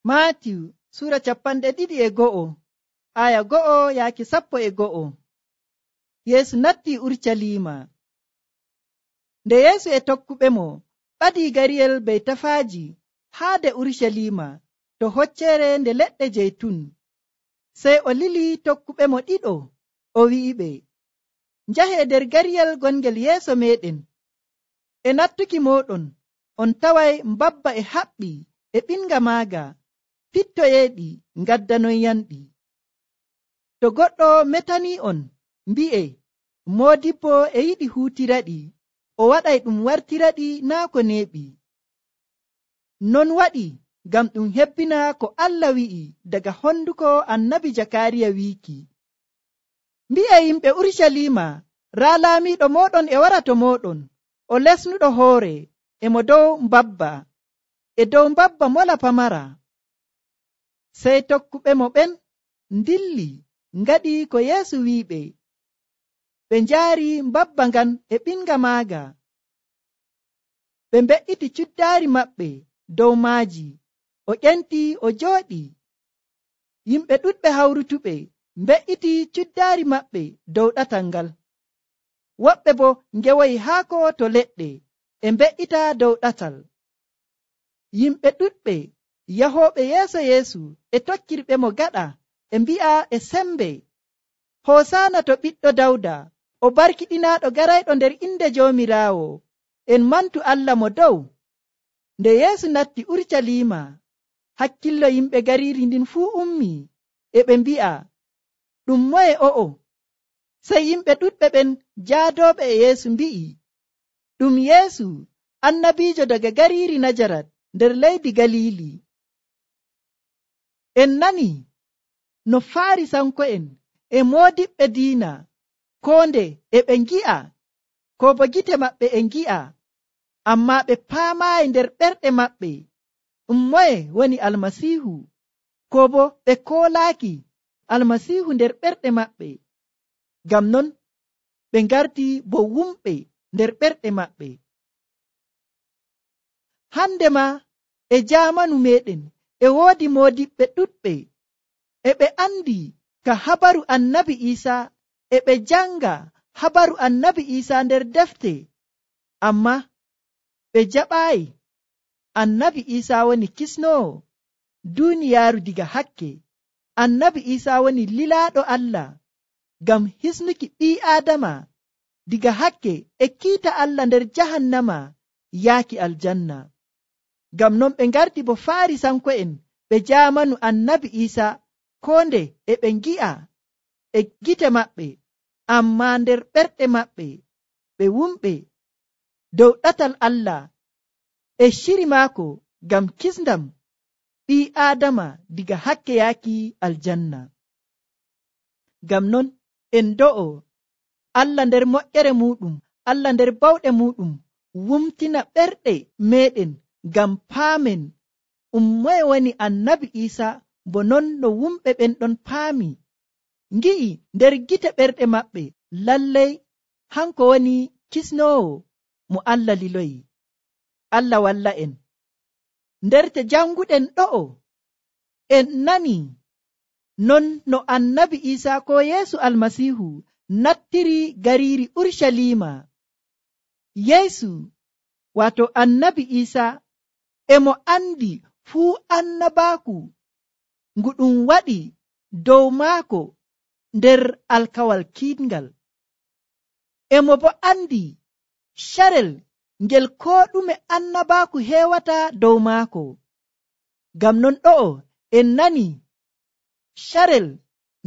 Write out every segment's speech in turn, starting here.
Maatiyu sura 21 aya 1 yaaki 11. Yeesu natti Urucaliima. Nde Yeesu e tokkuɓe mo ɓadii gariyel Beytafaaji haade Urucaliima to hocceere nde leɗɗe jeytun. Sey o lili tokkuɓe mo ɗiɗo, o wi'iɓe, njahee nder gariyel gongel yeeso meɗen. E nattuki mooɗon on taway mbabba e haɓɓi e ɓinga maaga, pittoyeeɗi ngaddanoyanɗi. To goɗɗo metanii on, mbi'e, moodibbo e yiɗi huutiraɗi, o waɗay ɗum wartiraɗi naa ko neeɓi. Non waɗi ngam ɗum hebbina ko Allah wi'i daga honduko annabi Jakaariya wiiki. Mbi'e yimɓe Urucaliima, raa laamiiɗo mooɗon e wara to mooɗon, o lesnuɗo hoore, e mo dow mbabba, e dow mbabba mola pamara. Sey tokkuɓe mo ɓen ndilli ngaɗi ko Yeesu wi'iɓe. Ɓe njaari mbabba ngan e ɓinga maaga. Ɓe mbe'iti cuddaari maɓɓe dow maaji, o ƴenti o jooɗi. Yimɓe ɗuɗɓe hawrutuɓe mbe'iti cuddaari maɓɓe dow ɗatal ngal. Woɓɓe bo ngewoyi haako to leɗɗe e mbe'ita dow ɗatal. Yimɓe ɗuɗɓe yahooɓe yeeso Yeesu e tokkirɓe mo gaɗa e mbi'a e sembe, Hosaana to ɓiɗɗo Dawda, o barkiɗinaaɗo garayɗo nder inde Joomiraawo, en mantu Allah mo dow. Nde Yeesu natti Urucaliima, hakkillo yimɓe gariiri ndin fuu ummi, e ɓe mbi'a, ɗum moye o'o? Sey yimɓe ɗuɗɓe ɓen jaadooɓe e Yeesu mbi'i, ɗum Yeesu, annabiijo daga gariiri Najarat nder leydi Galiili. En nani no Faarisanko'en e moodiɓɓe diina koo nde e ɓe ngi'a, ko bo gite maɓɓe e ngi'a, ammaa ɓe paamaayi nder ɓerɗe maɓɓe ɗum moye woni Almasiihu, ko bo ɓe koolaaki Almasiihu nder ɓerɗe maɓɓe. Ngam non ɓe ngarti bo wumɓe nder ɓerɗe maɓɓe. Hande ma e jaamanu meɗen e woodi moodiɓɓe ɗuɗɓe, e ɓe andi ka habaru annabi Iisaa, e ɓe janga habaru annabi Iisaa nder defte, amma ɓe jaɓaayi. Annabi Iisaa woni kisnoowo duuniyaaru diga hakke. Annabi Iisaa woni lilaaɗo Allah ngam hisnuki ɓii Aadama diga hakke e kiita Allah nder jahannama yaaki aljanna. Ngam non ɓe ngarti bo Faarisanko'en ɓe jaamanu annabi Iisaa, koo nde e ɓe ngi'a e gite maɓɓe, ammaa nder ɓerɗe maɓɓe ɓe wumɓe dow ɗatal Allah e shiri maako ngam kisndam ɓii Aadama diga hakke yaaki aljanna. Ngam non en do'o Allah nder moƴƴere muɗum, Allah nder bawɗe muɗum wumtina ɓerɗe meɗen ngam paamen moye woni annabi Iisaa, bo non no wumɓe ɓen ɗon paami, ngi'i nder gite ɓerɗe maɓɓe lallay hanko woni kisnoowo mo Allah liloyi. Allah walla en. Nderte janguɗen ɗo'o en nani non no annabi Iisaa ko Yeesu Almasiihu nattiri gariiri Urucaliima. Yeesu wato annabi Iisaa emo andi fuu annabaaku ngu ɗum waɗi dow maako nder alkawal kiiɗngal. Emo bo andi carel ngel koo ɗume annabaaku heewata dow maako. Ngam non ɗo'o en nani carel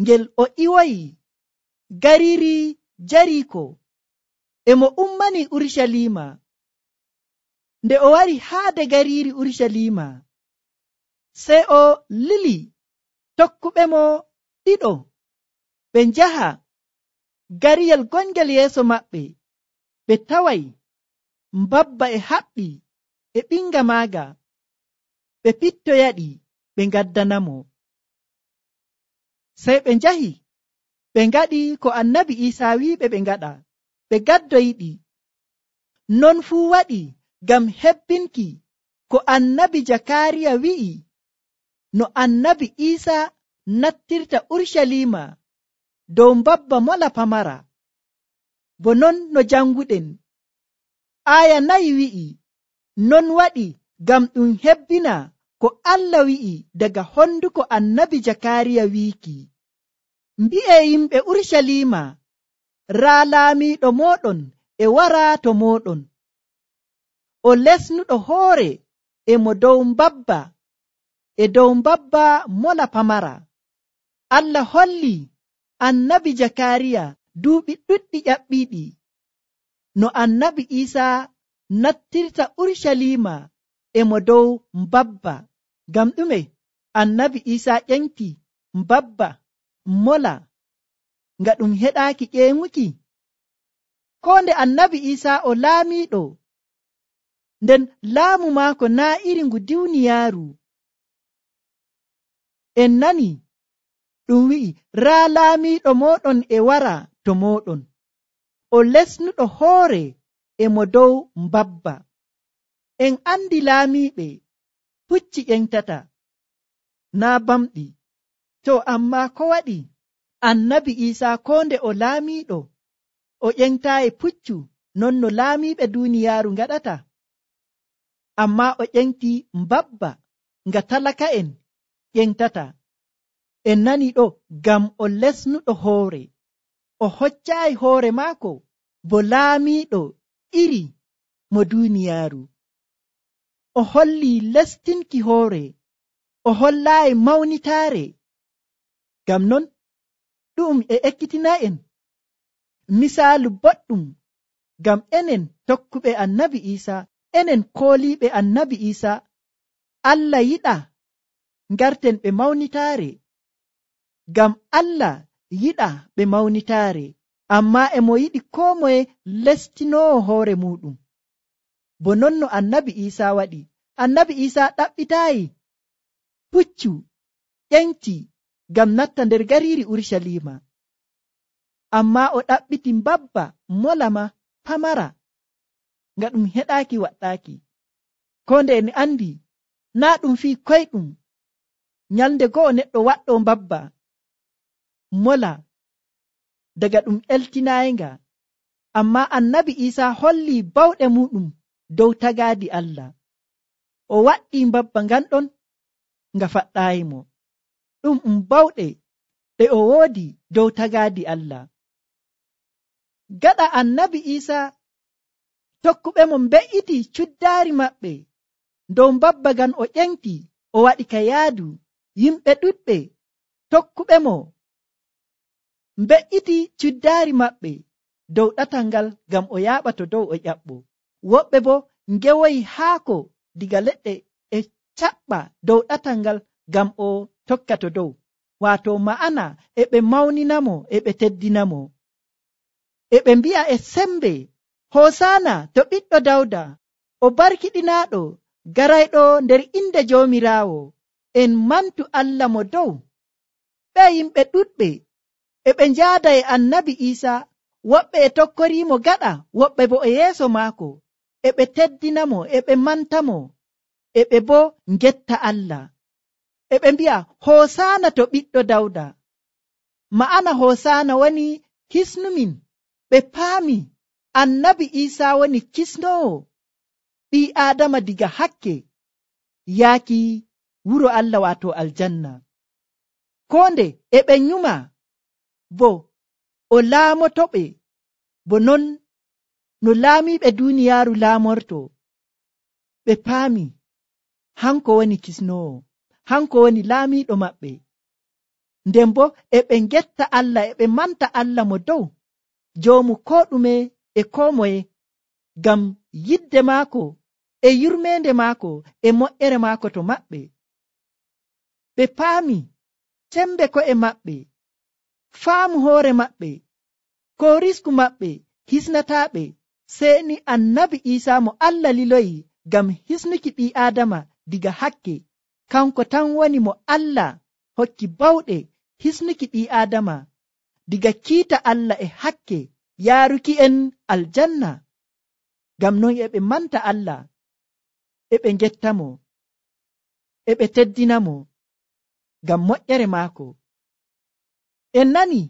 ngel o iwoyi gariiri Jariiko, emo ummani Urucaliima. Nde o wari haade gariiri Urucaliima, sey o lili tokkuɓe mo ɗiɗo ɓe njaha gariyel gongel yeeso maɓɓe. Ɓe taway mbabba e haɓɓi e ɓinga maaga, ɓe pittoyaɗi ɓe ngaddanamo. Sey ɓe njahi ɓe ngaɗi ko annabi Iisaa wi'iɓe ɓe ngaɗa, ɓe gaddoyiɗi. Non fuu waɗi ngam hebbinki ko annabi Jakaariya wi'i no annabi Iisa nattirta Urshalima dow mbabba mola pamara. Bo non no janguɗen, aya 4 wi'i, non waɗi ngam ɗum hebbina ko Allah wi'i daga honduko annabi Jakariya wiiki, mbi'e yimɓe Urshalima, raa laamiiɗo mooɗon e wara to mooɗon, o lesnuɗo hoore e mo dow mbabba e dow mbabba mola pamara. Allah holli annabi Jakariya duuɓi ɗuɗɗi ƴaɓɓiiɗi no annabi Iisa nattirta Urshalima e mo dow mbabba. Ngam ɗume annabi Iisa ƴenti mbabba mola nga ɗum heɗaaki ƴeeŋuki? Ko nde annabi Iisa o laamiiɗo, nden laamu maako naa iri ngu duniyaaru. En nani ɗum wi'i, raa laamiiɗo mooɗon e wara to mooɗon, o lesnuɗo hoore e mo dow mbabba. En andi laamiiɓe pucci ƴentata, naa bamɗi. To ammaa ko waɗi annabi Iisa ko nde o laamiiɗo o ƴentaayi puccu non no laamiiɓe duniyaaru ngaɗata? Ammaa o ƴenti mbabba nga talaka'en ƴentata. En nani ɗo ngam o lesnuɗo hoore, o hoccaayi hoore maako bo laamiiɗo iri mo duniyaaru. O holli lestinki hoore, o hollaayi mawnitaare. Ngam non ɗum e ekkitina en misaalu boɗɗum, ngam enen tokkuɓe annabi Iisa, enen kooliiɓe annabi Iisa, Allah yiɗa ngarten ɓe mawnitaare. Ngam Allah yiɗa ɓe mawnitaare, ammaa e mo yiɗi koo moye lestinoowo hoore muɗum. Bo non no annabi Iisa waɗi. Annabi Iisa ɗaɓɓitaayi puccu ƴenti ngam natta nder gariiri Urshalima, ammaa o ɗaɓɓiti mbabba molama pamara nga ɗum heɗaaki waɗɗaaki. Ko nde en andi naa ɗum fii koyɗum nyalnde go'o neɗɗo waɗɗo mbabba mola daga ɗum eltinaayinga, ammaa annabi Iisa holli bawɗe muɗum dow tagaadi Allah. O waɗɗi mbabba ngan ɗon nga faɗɗaayimo. Ɗum bawɗe ɗe o woodi dow tagaadi Allah. Gaɗa annabi Iisa tokkuɓe mo mbe'iti cuddaari maɓɓe dow mbabba ngan o ƴenti, o waɗi ka yaadu. Yimɓe ɗuɗɓe tokkuɓe mo mbe'iti cuddaari maɓɓe dow ɗatal ngal ngam o yaaɓa to dow o ƴaɓɓo. Woɓɓe bo ngewoyi haako diga leɗɗe e caɓɓa dow ɗatal ngal ngam o tokka to dow. Waato ma'ana e ɓe mawninamo e ɓe teddinamo, e ɓe mbi'a e sembe, Hosaana to ɓiɗɗo Dawda, o barkiɗinaaɗo garayɗo nder inde Joomiraawo. En mantu Allah mo dow. Ɓe yimɓe ɗuɗɓe e ɓe njaada e annabi Iisa, woɓɓe e tokkoriimo gaɗa, woɓɓe bo e yeeso maako, e ɓe teddinamo, e ɓe mantamo, e ɓe bo ngetta Allah. E ɓe mbi'a Hosaana to ɓiɗɗo Dawda. Ma'ana Hosaana woni hisnumin. Ɓe paami annabi Iisa woni kisnoowo ɓii Aadama diga hakke yaaki wuro Allah, waato aljanna. Ko nde e ɓe nyuma bo o laamotoɓe bo non no laamiiɓe duniyaaru laamorto. Ɓe paami hanko woni kisnoowo, hanko woni laamiiɗo maɓɓe. Nden bo e ɓe ngetta Allah, e ɓe manta Allah mo dow, joomu koo ɗume e koo moye, ngam yidde maako e yurmeende maako e moƴƴere maako to maɓɓe. Ɓe paami sembe ko'e maɓɓe, faamu hoore maɓɓe, ko risku maɓɓe hisnataaɓe, sey ni annabi Iisa mo Allah liloyi ngam hisnuki ɓii Aadama diga hakke. Kanko tan woni mo Allah hokki bawɗe hisnuki ɓii Aadama diga kiita Allah e hakke, yaaruki en aljanna. Ngam non e ɓe manta Allah, e ɓe ngettamo, e ɓe teddinamo. ngam moƴƴere maako. En nani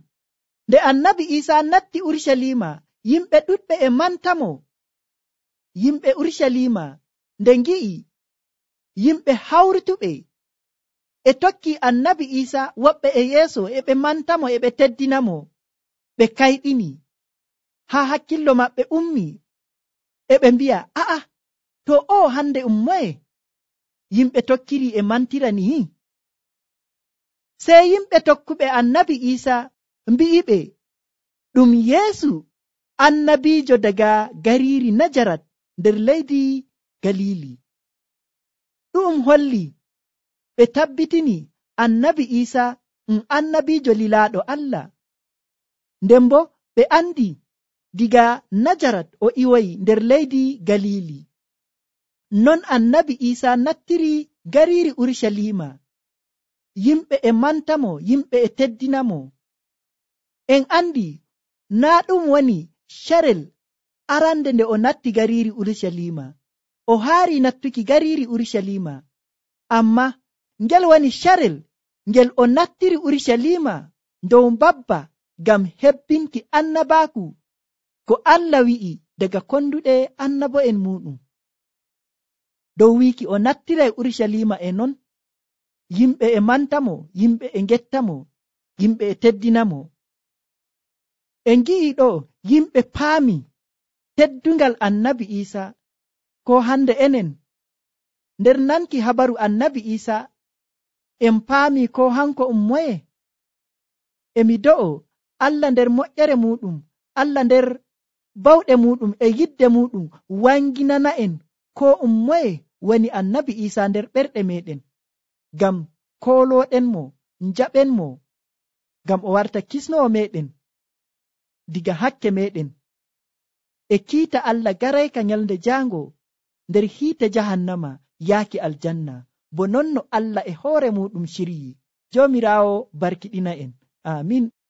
nde annabi Isa natti Urusalima, yimɓe ɗuɗɓe e mantamo. Yimɓe Urusalima nde ngi'i yimɓe hawrutuɓe e tokki annabi Isa, woɓɓe e yeeso e ɓe mantamo e ɓe teddinamo, ɓe kayɗini haa hakkillo maɓɓe ummi e ɓe mbi'a, a'a, to o hande moye yimɓe tokkiri e mantira ni? Sey yimɓe tokkuɓe annabi Isa mbi'iɓe ɗum Yeesu annabiijo daga gariiri Najarat nder leydi Galili. Ɗum holli ɓe tabbitini annabi Isa annabiijo lilaaɗo Allah. Nden bo ɓe andi diga Najarat o iwoyi nder leydi Galili. Non annabi Isa nattiri gariiri Urusalima. Yimɓe e mantamo, yimɓe e teddinamo. En andi naa ɗum woni carel arande nde o natti gariiri Urusalima. O haari nattuki gariiri Urusalima, amma ngel woni carel ngel o nattiri Urusalima dow mbabba ngam hebbinki annabaaku ko Allah wi'i daga konduɗe annabo'en muɗum. Dow wiiki o nattiray Urusalima e non, yimɓe e mantamo, yimɓe e gettamo, yimɓe e teddinamo. En gi'i ɗo yimɓe paami teddungal annabi Isa, ko hande enen nder nanki habaru annabi Isa en paami ko hanko moye. Emi do'o Allah nder moƴƴere muɗum, Allah nder bawɗe muɗum e yidde muɗum wanginana en ko moye woni annabi Isa nder ɓerɗe meɗen, ngam kooloɗen mo, njaɓen mo, ngam o warta kisnowo meɗen diga hakke meɗen e kiita Allah garayka nyalde jaango nder hiite jahannama yaaki aljanna, bo non no Allah e hoore muɗum shiryi. Joomiraawo barkiɗina en. Amin.